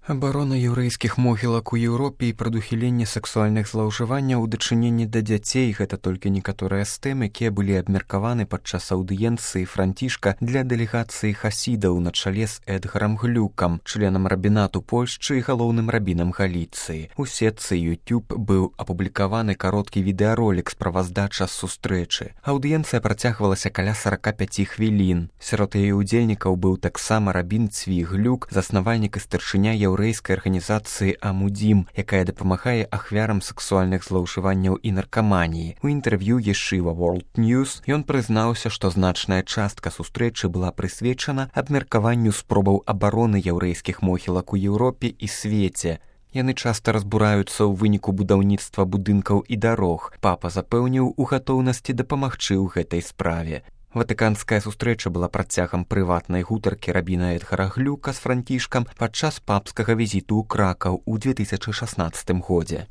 Абарона яўрэйскіх могілак у Еўропе і прадухіленне сексуальных злоўжыванняў у дачыненні да дзяцей – гэта толькі некаторыя з тэм, якія былі абмеркаваны падчас аўдыенцыі Францішка для дэлегацыі хасідаў на чале з Эдгарам Глюкам, членам рабінату Польшчы і галоўным рабінам Галіцыі. У сетцы YouTube быў апублікаваны кароткі відэаролік справаздача з сустрэчы. Аўдыенцыя працягвалася каля 45 хвілін. Сярод яе ўдзельнікаў быў таксама рабін Цві Глюк, заснавальнік і старшыня яўрэйскай арганізацыі «Амудзім», якая дапамагае ахвярам сексуальных злоўжыванняў і наркаманіі. У інтэрв'ю Ешыва World News ён прызнаўся, што значная частка сустрэчы была прысвечана абмеркаванню спробаў абароны яўрэйскіх могілак у Еўропе і свеце. Яны часта разбураюцца ў выніку будаўніцтва будынкаў і дарог. Папа запэўніў у гатоўнасці дапамагчы ў гэтай справе. Ватыканская сустрэча была працягам прыватнай гутаркі рабіна Эдгара Глюка з Францішкам падчас папскага візіту ў Кракаў у 2016 годзе.